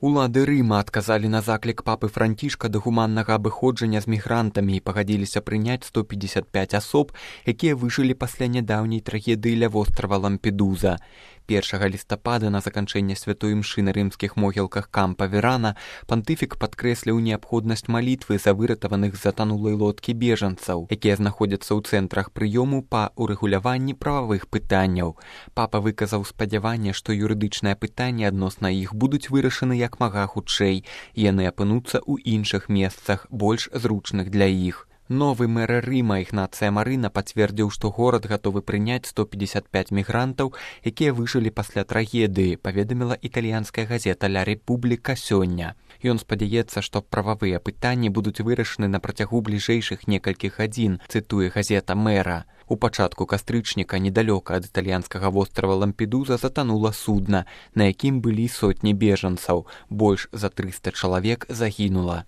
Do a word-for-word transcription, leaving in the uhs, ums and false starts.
Улады Рыма адказалі на заклік папы Францішка да гуманнага абыходжання з мігрантамі і пагадзіліся прыняць сто пятьдесят пять асоб, якія выжылі пасля нядаўняй трагедыі ля вострава Лампедуза. першага лістапада на заканчэнне святой імшы на рымскіх могілках Кампа Верана пантыфік падкрэсліў неабходнасць малітвы за выратаваных з затанулай лодкі бежанцаў, якія знаходзяцца ў цэнтрах прыёму па урэгуляванні прававых пытанняў. Папа выказаў спадзяванне, што юрыдычныя пытанні адносна іх будуць вырашаны як мага хутчэй, і яны апынуцца ў іншых месцах, больш зручных для іх. Новы мэр Рыма Ігнацыя Марына пацвердзіў, што горад гатовы прыняць сто пятьдесят пять мігрантаў, якія выжылі пасля трагедыі, паведаміла італьянская газета «Ля Рэпубліка» сёння. Ён спадзяецца, што прававыя пытанні будуць вырашаны на працягу бліжэйшых некалькіх гадзін, цытуе газета мэра. У пачатку кастрычніка недалёка ад італьянскага вострава Лампедуза затанула судна, на якім былі сотні бежанцаў. Больш за трыста чалавек загінула.